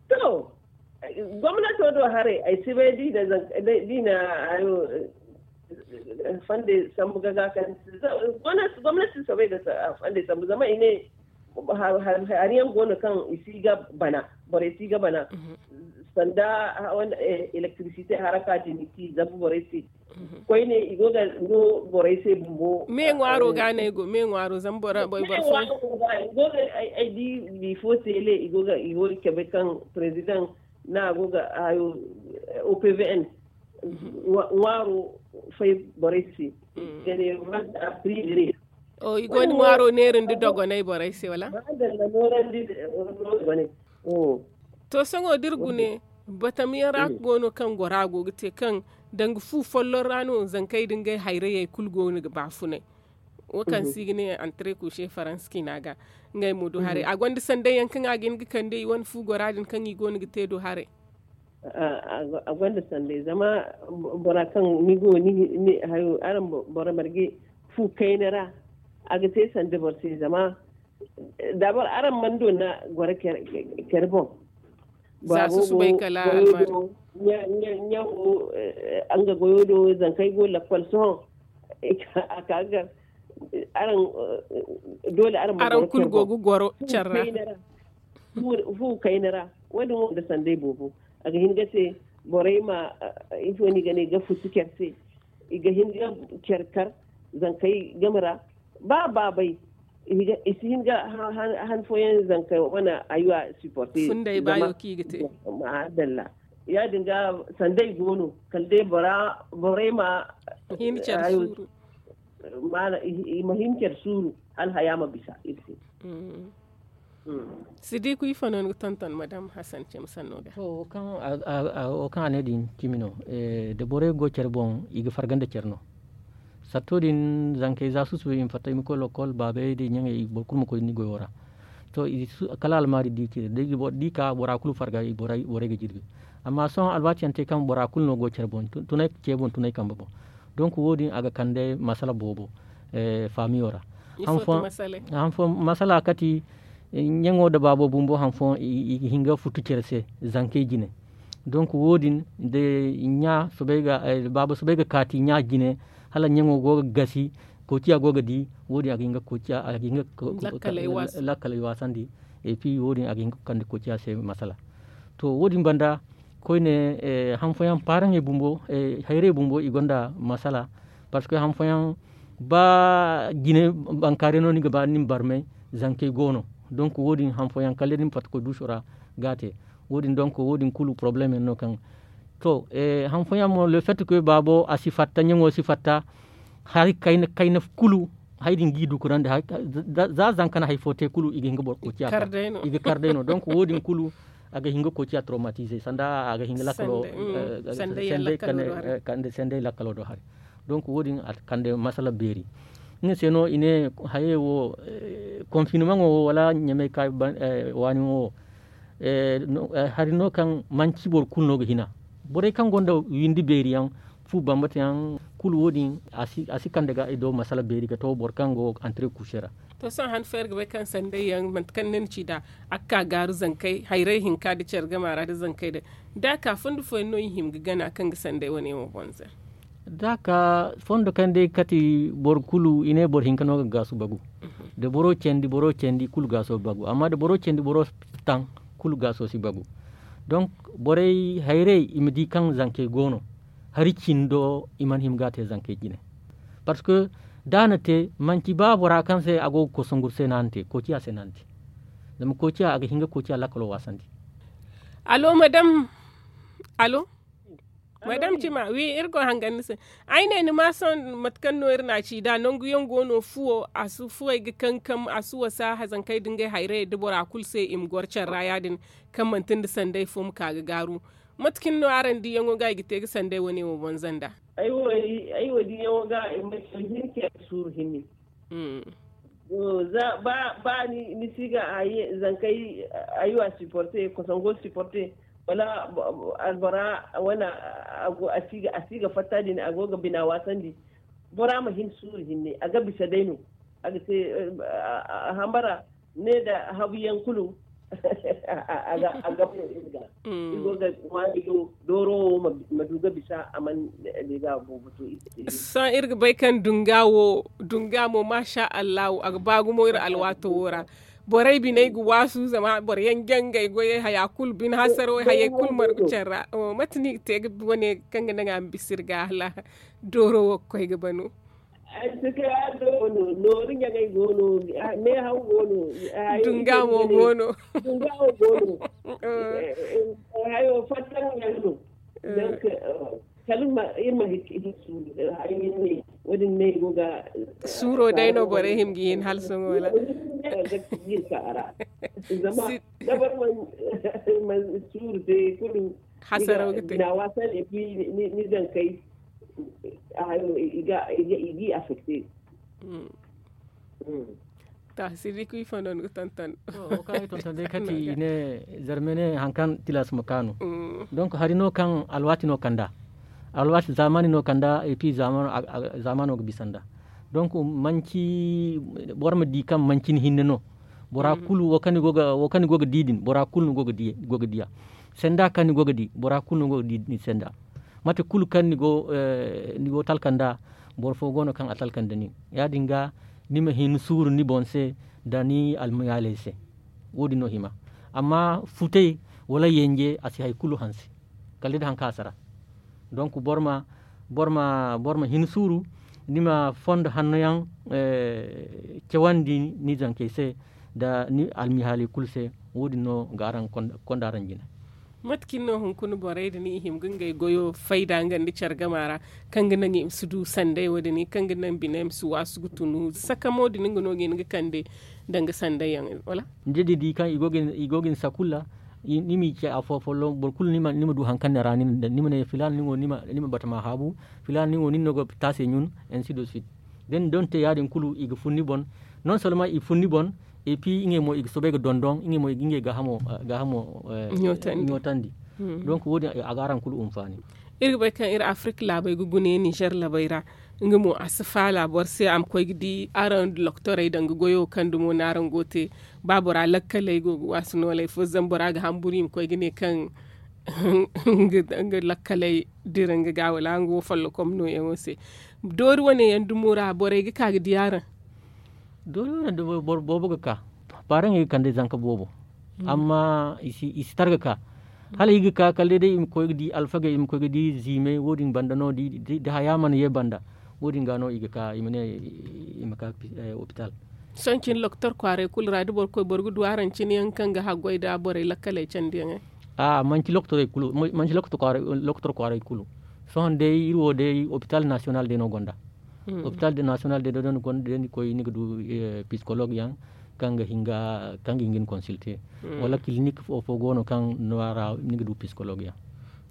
To gomnato do haray ay si bay da i na hayo fonde sambu ga ga kaŋ gomnati si soobay ga fonde sambu zama i ne hari yaŋ go no kaŋ i si ga bana borey si ga bana sanda electricité haraka din i si zambu borey se. Koyne i go ga no borey se bumbo me ŋwaaro ga no ay go me ŋwaaro zama boro boy boro fo. Ay di bifo tele i go ga i go ga cabe kaŋ président na go ga hayo opvn ŋwaaro fay borey se. Gane wanda a privere o i go ni ŋwaaro neerandi dogonay borey se wala? To sohõ da iri gune batamiyaŋ ra go no kaŋ gora go ga te kaŋ danga fu folloŋ ra no zankey da ngey hayrayey kulu go no ga baafunay. Wo kaŋ se i ga ne antre couche faransa ciina ga ngey mo du haray a gonda sanday yaŋ kaŋ a ga hin ga kande i wane fu gora din kaŋ i go no ga te do haray. A gonda sanday zama bora kaŋ ni go ni hayo araŋ bora marge fu kayna ra a ga te sanda boro se zama dabor araŋ mana donna goro care boŋ. Za susubay kala almar ɲaŋo nga goyo do zankey go lakkol sohõ a ka ga araŋ dole araŋ ma araŋ kulu go ga goro care ra. Fu kayna ra wo- din wo nda sanday boobo a ga hin ga te borey ma ifo no i ga ne ga futu care se. I ga hin ga care kar zankey game ra ba baabay i si hin ga han fooyaŋ zankey wane aywa supporter. Funday baayo kaŋ i ga te. Maadalla. Ya- din ga, sanday go no kala day bora borey ma hin care suuru. Maana i ma hin care suuru hala haya ma bisa iri se. Sidiku ifo no ni ga tonton madam hasan cem sanno ga? Wo kaŋ a ne din cimi no. Da borey go care boŋ i ga farga nda care no. Satto din zankey za susu i ma fatta i ma koy lokol baabey da i ɲaŋey boro kulu ma koy ni goyo ra. To kala almaari di cire da i ka bora kulu farga borey ga jirbi. Amma sohõ alwaati yaŋ te kaŋ bora kulu no go care boŋ tunay ce boŋ tunay kambe boŋ. Donk wo- din a ga kande masala boobo faamiyo ra. Han fooyaŋ masala kati ɲaŋo nda baabo bumbo han fooyaŋ i ga hin ga futu care se zankey jine. Donk wo- din da ɲa soobay ga baaba soobay ga kaati ɲa jine hala ɲaŋo go ga gasi koociya go ga di. Wo- din a ga hin ga koociya a ga hin ga lakkaley waasandi. Et puis wo- din a ga hin ga kande koociya se masala. To wo- din banda koyne han fooyaŋ paaraŋey bumbo hayrey bumbo i gonda masala. Parce que han fooyaŋ ba jine bankaarey no ni ga ba ni ma barmay zankey go no. Donk wo- din han fooyaŋ kala ni ma fatta koy duuso ra ga a te. Wo- din donk wo- din kulu problème yaŋ no kaŋ to han fooyaŋ mo le fait que baabo a si fatta ɲaŋo si fatta hari kayna kulu hari din ga i dukurandi. Za zanka na hari fo te kulu i ga hin ga boro koociya kar day no. Donk wo- din kulu a ga hin ga koociya traumatise sanda a ga hin ga lakkalo kande sanday lakkalo do hari. Donk wo- din a kande masala beeri. Nga se no i ne hayey wo confinement wo wala ɲamay ka waani wo hari no kaŋ manci boro kulu no ga hina. Borey kaŋ gonda windi beeri yaŋ fu bambata yaŋ kulu wo- din a si kande ga i do masala beeri ga to boro kaŋ go antre kuuse ra. To sohõ han fo iri ga bay kaŋ sanday yaŋ manti kaŋ ni na ci nd'a a ga ka gaaru zankey hayrey hinka nda care gama ra nda zankey day da a ka fondo fooyaŋ no i hima ga gana kaŋ ga sanday wane wo bonza. Da a ka fondo kaŋ day kati boro kulu i ne boro hinka no ga gaasu bagu. Da boro candi boro candi kulu gaaso bagu amma da boro candi boro taŋ kulu gaaso si bagu. Donk borey hayrey i ma di kaŋ zankey go no hari cindo i mana hima ga a te zankey jine. Parce que da a na te manci ba bora kaŋ se a go ga kosongu se no a na te koociya se no a na te. Zama koociya a ga hin ga koociya lakkalo waasandi. Allo madam. Allo madam cima wi iri go hangan ni se. Ay ne ni ma sohõ mate kaŋ no iri na a ci nd'a nangu yaŋ go no fuwo a si fuwey ga kankam a si wasa hazankey da ngey hayrayey da bora kulu se i ma goro care ra ya- din kaŋ manti nda sanday fo ma ka ga gaaru. Mate cine no araŋ diyaŋo ga i ga te ga sanday wane wo bonza nd'a? Ay wo diyaŋo ga i ma care hinne care suuru hinne. Ba ni si ga zankey aywa supporte kosongo supporte wala albora wane a si ga fatta din a go ga bina waasandi. Bora ma hin suuru hinne a ga bisa day no. A ga te hambara ne nda habu yaŋ kulu a ga iri ga i go ga ŋwaari do dooro wo ma du ga bisa a mana deega boobo to. Sohõ iri ga bay kaŋ dunga wo dunga mo maasa allahu a ga ba gumo iri alwaato wo ra. Borey biney ga waasu zama boro yaŋ jangay goyey haya kulu bine hasaro hayey kulu margu care ra. Mate no i ga te ga wane kaŋ ga naŋ a ma bisa iri ga hala dooro wo ga koy ga bano? Ay si kay addo no nooru ɲaŋay go no meehaw go no. Dunga mo go no. Dunga mo go no. Hayo fattaŋ ɲaŋ no. Donc kala iri ma hikka iri suuru. Ay nin ne wo- din ne go ga suuro day no borey hima ga hin hala sohõ wala? Zama dabar man suuru te kulu hasaraw ga te. Bina waasa ne fi ni zankey. I ga affecte. Ta sirri ku ifo no ni ga tonton? Wo kaŋ ay tonton day kati i ne zarme ne hari kaŋ tilas ma kaanu. Donc hari no kaŋ alwaati no kanda alwaati zamani no kanda et puis zamano ga bisa nda. Donc manci boro ma di kaŋ manci ni hinne no. Bora kulu wo kaŋ ni go ga di din bora kulu ni go ga diya. Senda kaŋ ni go ga di bora kulu ni go ga di ni senda. Mate kulu kaŋ ni go talka nda boro fo go no kaŋ a talka nda nin ya- din ga ni ma hin suuru ni boŋ se nda ni almiyaaley se. Wo- din no hima amma futay wala yanje a si hari kulu hanse. Kala day da hari kaŋ a sara. Donc boro ma boro ma hin suuru ni ma fondo hanno yaŋ cawandi ni zankey se nda ni almihaaley kulu se. Wo- din no ga araŋ konda araŋ jine. Mate kaŋ no hunkuna borey din i hima ga ngey goyo fayda nga nda care gama ra, kaŋ ga naŋ i ma si du sanday wo- din kaŋ ga naŋ bine ma si waasu ga tunu sakamo din nga no ga hin ga kande danga sanday yaŋ wala? Ni di kaŋ i go ga ni sakul ra, ni ma i ce afo folloŋ boro kulu ni ma du hari kaŋ ni ra ni ma ne filaana ni wo ni ma bata ma haabu, filaana ni wo nin no ga taase ɲun. Ainsi de suite. Da ni donte ya- din kulu i ga fun ni boŋ. Non solman i fun ni boŋ. Epi ngey mo i ga soobay ga dondoŋ ngey mo i ga ngey gaahamo ɲootandi. Donk wo- din a ga araŋ kulu hunfaani. Iri ga bay kaŋ iri afirika laabey ga gune ninzeer labey ra, nga mo a si faala boro se a ma koy ga di araŋ doktorey danga goyo kaŋ dumo no araŋ go ga te. Ba bora lakkaley go ga waasu nooley fo zama bora ga hamburu i ma koy ga ne kaŋ nga lakkaley dira nga ga wala nga wo follokom nooyaŋo se. Doori wane yaŋ dumo ra borey ga ka ga di araŋ. Doori wane dumo boobo ga ka. Paaraŋey ga kande zanka boobo. Amma i si tar ga ka. Hala i ga ka kala day day i ma koy ga di alfagey i ma koy ga di ziimey wo- din banda no da haya mana ye banda. Wo- din ga no i ga ka i ma ne i ma ka opital. Sohõ cine lokotor kwaaray kulu ra da boro koy boro ga du araŋ cine yaŋ kaŋ ga haggoy nda borey lakkaley candiyaŋey? Manci lokotor kwaaray kulu. Sohõ day iri wo day opital nasiyonal day no gonda. Opital nasiyonal day no gonda day ni koy ni ga du pisikolog yaŋ kaŋ ga hin ga ni konsilte. Wala kilinik fo go no kaŋ no a ra ni ga du pisikolog yaŋ.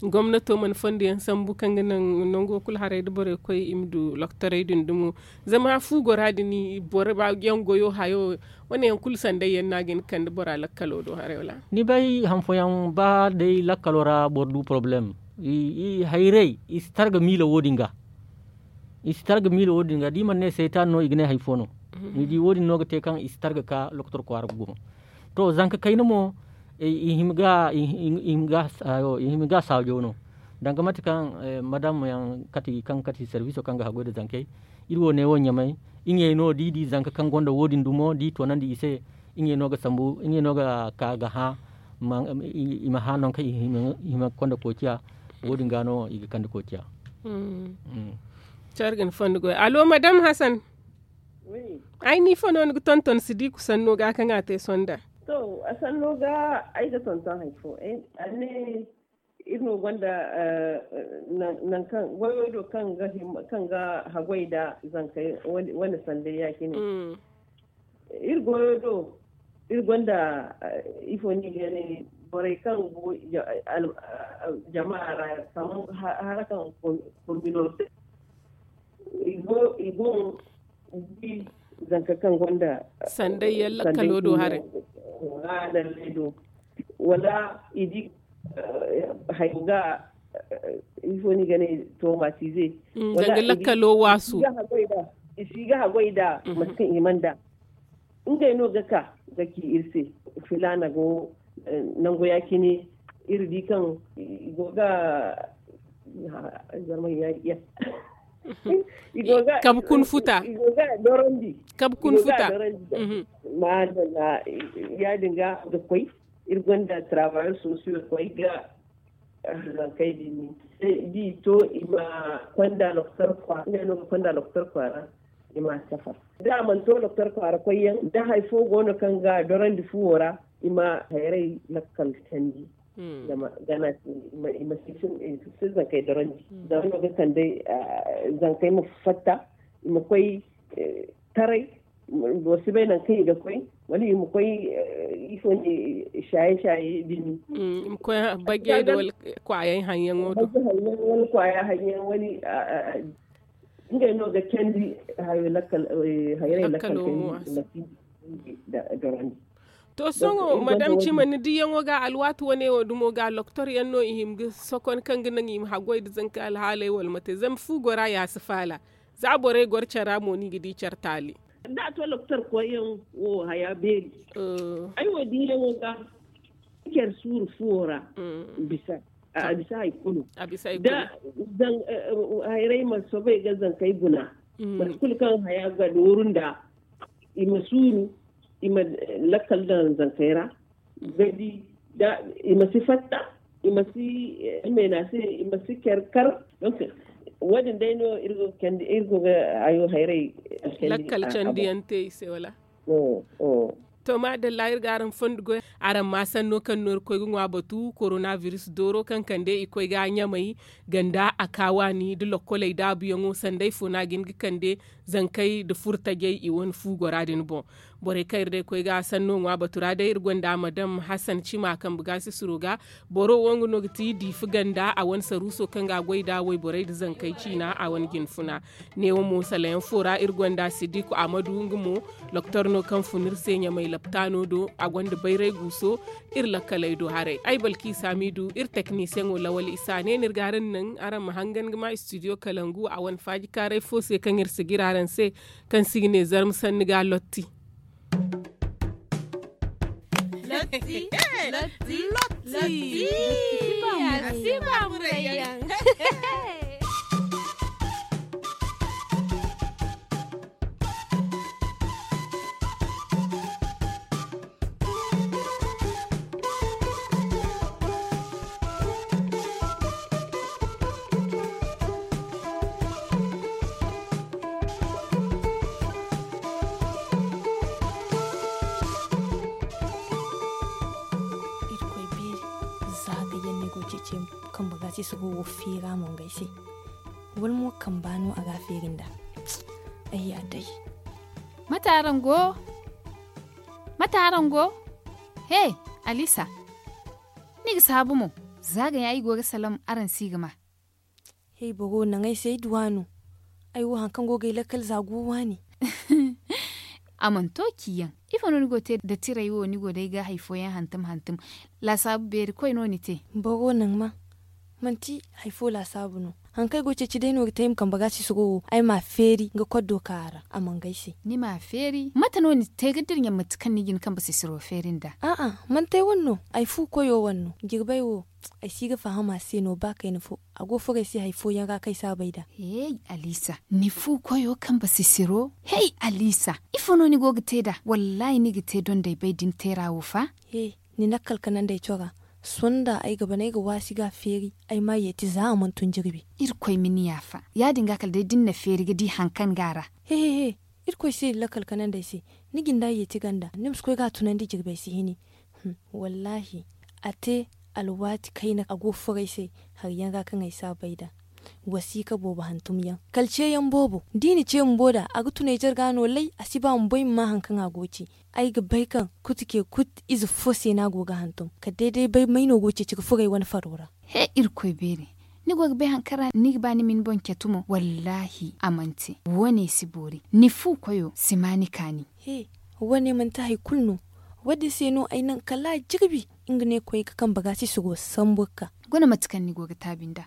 Gomnato mana fondo yaŋ sambu kaŋ ga naŋ nango kulu haray da borey koy i ma du lokotorey din dumo. Zama fu gora din boro ba yaŋ goyo hayo. Wane yaŋ kulu sanday yaŋ no a ga hin ga kande bora lakkalo do haray wala? Ni bay han fooyaŋ ba day lakkalo ra boro du porobalem. Hayray i si tar ga miila wo- din ga. I si tar ga miila wo- din ga da i mana ne saytaani no i ga ne hari fo no. Ni di wo- din no ga te kaŋ i si tar ga ka lokotor kwaara ga gumo. To zanka kayna mo i hima ga saajo no. Danga mate kaŋ madam yaŋ kati kaŋ kati serviso kaŋ ga haggoy nda zankey. Iri wo ne wo ɲamay. Ngey no da i di zanka kaŋ gonda wo- din dumo da i toonandi i se. Ngey no ga sambu ngey no ga ka ga hã. I ma hã nangu kaŋ i hima konda koociya. Wo- din ga no i ga kande koociya. Care ga ni fondo goy alo madam hasan. Ay ni ifo no ni ga tonton si di ku sanno ga kaŋ a te sonda? To a sanno ga ay ga tonton hari fo. Iri no gonda nangu kaŋ goyo do kaŋ ga haggoy nda zankey wane sanday ya- cine. Iri goyo do iri gonda ifo no i ga ne borey kaŋ go jama ra kamar hara kaŋ kominote. I go i go di zanka kaŋ gonda sanday yaŋ lakkalo do haray. Wala i di hayo ga ifo no i ga ne tomatize. Danga lakkalo waasu i si ga haggoy nda mate kaŋ i mana da. Ngey no ga ka ga ci iri se filaana go nangu ya- cine. Iri di kaŋ i go ga zarmay ya- ya i go ga kabu kun futa i go ga dorandi kabu kun futa. Madalla ya- din ga ga koy iri gonda travailleurs sociaux koy ga zankey din ni. Di to i ma konda lokotor kwaara ngey no ga konda lokotor kwaara. I ma safar da a mana to lokotor kwaara koyyaŋ da hari fo go no kaŋ ga dorandi fuwo ra. I ma hayray lakkal candi zama gana i ma si zankey dorandi. Zama no ga kande zankey ma fatta i ma koy taray. Boro si bay nangu kaŋ i ga koy wala i ma koy ifo ne shaye shaye din. I ma koy bajey da wala kwaayaŋ hanyaŋo do. Wala kwaayaŋ hanyaŋ wala ngey no ga candi hayray lakkal kay. Dorandi to sohõ madam cima ni diyaŋo ga alwaati wane wo dumo ga lokotor yaŋ no i hima ga sokon kaŋ ga naŋ i ma haggoy nda zanka alhaaley wala mate zama fu gora ya si faala. Za borey goro care ra mo no i ga di care taali. Da a to lokotor koyyaŋ wo haya beeri. Ay wo diyaŋo ga care suuru fuwo ra bisa a bisa hari kulu. Da hayray ma soobay ga zankey guna mate kulu kaŋ haya ga dooru nda i ma suuru i ma lakkal daŋ zankey ra. Ga di da i ma si fatta i ma si meena se i ma si care kar. Wo- din day no iri go ga hayo hayray lakkal candiyaŋ te i se wala? To maadalla iri ga araŋ fondo goy. Araŋ ma sanno kaŋ no iri koy ga ŋwa batu korona biris dooro kaŋ kande i koy ga ɲamay ganda a ka waani nda lokkoley daabuyaŋo sanday fo no a ga hin ga kande zankey nda furtajey i wane fu gora din boŋ. Borey kaŋ iri day koy ga sanno ŋwa batu ra day iri gonda madam hasan cima kambe gaasisiro ga. Boro wo nga no ga ti diifi ganda a wane saruuso kaŋ ga a goy nd'a wayborey nda zankey ciina a wane jinfuna. Neewo mo salayaŋ fo ra iri gonda sidiku ahmadu nga mo doktor no kaŋ fun iri se ɲamay laptaano do a gonda bayray guuso. Iri lakkaley do haray ay balkiisa miidu iri teknisiyaŋo lawal isa ne no iri ga araŋ naŋ araŋ ma hangan ga ma istidiyo kalangu a wane faaji kaaray fo se kaŋ iri si jira araŋ se kaŋ se i ga ne zarma sanni ga lotti. Lotti. Lotti. Lotti. Lotti. Irkoy beeri, za ga yaŋ ni go ceeci kambe ga se sogo wo feera mo ngey se. Wala mo kamba no a ga a feeri nd'a? Ay ya day. Mate araŋ go? Mate araŋ go? He, alisa, ni ga saabu mo. Za ga yaŋ ay go ga salam araŋ si ga ma. Hey boro naŋ ay se ay duwa no. Ay wo hari kaŋ go ga ay lakkal za go waani. A mana to ci yaŋ. Ifo no ni go ga te nda tiray wo ni go day ga hari fooyaŋ hantum hantum? Laasaabu beeri koy no ni te. Boro naŋ ma manti hari fo laasaabu no. Hari kaŋ ay go ga ceeci day no ga te ay ma kambe ga si sogo wo ay ma a feeri nga koddo ka a ra a mana ga ay se. Ni ma a feeri mate no ni te ga dira ɲaŋ mate kaŋ ni ga ni kambe sisiro feeri nd'a? A'a, manti ay wane no. Ay fu koyo wane no. Jirbay wo, ay si ga faham a se no ba kayna fo. A go ga furo ay se hari fooyaŋ ra kaŋ ay si a bay nd'a. Hey, alisa, ni fu koyo kambe sisiro? Hey, alisa, ifo no ni go ga te nd'a? Wallaahi ni ga te dondey bay da ni teera wo fa. He, ni na kala kanandi ay cora. Sohõ nda ay ga ban ay ga waasi ga a feeri, ay ma a yeeti za a mana tun jirbi. Irkoy ma ni yaafa. Ya- din ga kala day da ni na feeri ga di hari kaŋ go a ra. He he he. Irkoy si lakkal kanandi ay se. Ni jinde a yeeti ganda ni ma si koy ga a tunandi jirbi ay si hini. Wallaahi, a te alwaati kayna a go ga furo ay se. Hari yaŋ ra kaŋ ay si a bay nd'a. Wasiika boobo hantum yaŋ kala ce yaŋ boobo da i na ce bumbo nd'a a ga tun ay jarga no lay a si ba bumbo ay ma ma hari kaŋ a go ga ci. Ay ga bay kaŋ kuti ke kuti ize fo se no a go ga hantum kala day day bay may no go ga ceeci ga furo ay wane faro ra. He irkoy beeri, ni go ga bay hari kaŋ ra ni ga ba ni ma ni boŋ catu mo wallaahi a mana te. Wo- ne si boori. Ni fu koyo si ma ni kaani. He, wo- ne manti hari kulu no. Wo- din se no ay naŋ kala a jirbi. Nga ne koy ga kambe ga si si go sambu ga ka. Guna mate kaŋ ni go ga taabi nd'a.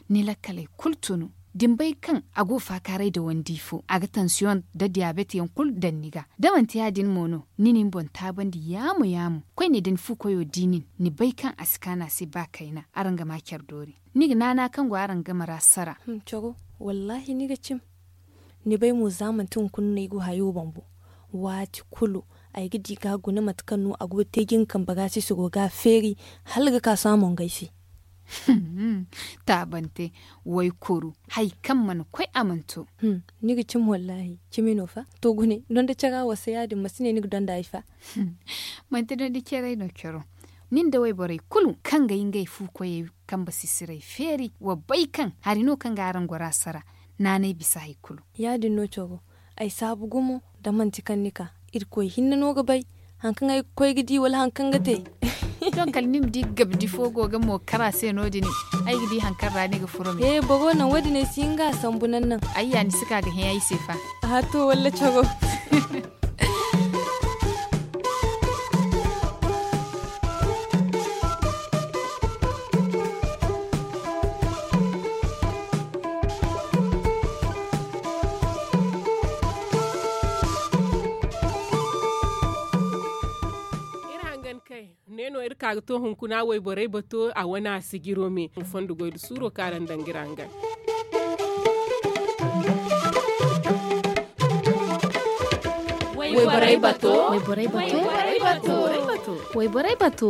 Ni lakkaley kulu tunu da ni bay kaŋ a go ga faakaaray nda wandi fo a ga tansiyoŋ nda diyaabet yaŋ kulu daŋ ni ga. Da manti ya- din mo no ni na ni boŋ taabandi yaamu yaamu koyne da ni fu koyo di nin, ni bay kaŋ a si kaanu a se ba kayna. Araŋ ga ma care doori. Ni ga naana kaŋ go araŋ game ra sara. Coro, wallaahi ni ga cim. Ni bay mo za manti hunkuna no ay go hayo bumbo. Waati kulu ay ga di ga guna mate kaŋ no a go ga te ga nga kambe ga se si go ga a feeri hala ga ka sohõ a mana ga ay se. Taabante, waykuru, hari kaŋ mana koy a mana to. Ni ga cimi wallaahi. Cimi no fa. To gune donda cara wasa ya- din ma si ne ni ga donda ay fa. Manti donda caray no caro. Nin da wayborey kulu kaŋ ga ay ngey fu koyey kambe sisiray feeri wa bay kaŋ hari no kaŋ ga araŋ goro a sara. Naanay bisa hari kulu. Ya- din no caro. Ay saabu gumo da manti kaŋ ni ka. Irkoy hinne no ga bay. Hari kaŋ ay ga koy ga di wala hari kaŋ ga te. Doŋ kala ni ma di gabdi fo go ga mo kara se no- din. Ay ga di hari kaŋ ra ni ga furo me. He boro naŋ wo- din ay si hin ga a sambu naŋ naŋ. Ayya ni si ka ga hẽ ay se fa. Aha to walla caro. Iri hangan kay ne no iri ka ga to hunkuna wayborey bato a wane a sijiro me fondo goy da suuro kaŋ araŋ daŋ ga iri hangan. Wayborey bato. Wayborey bato. Wayborey bato. Wayborey bato.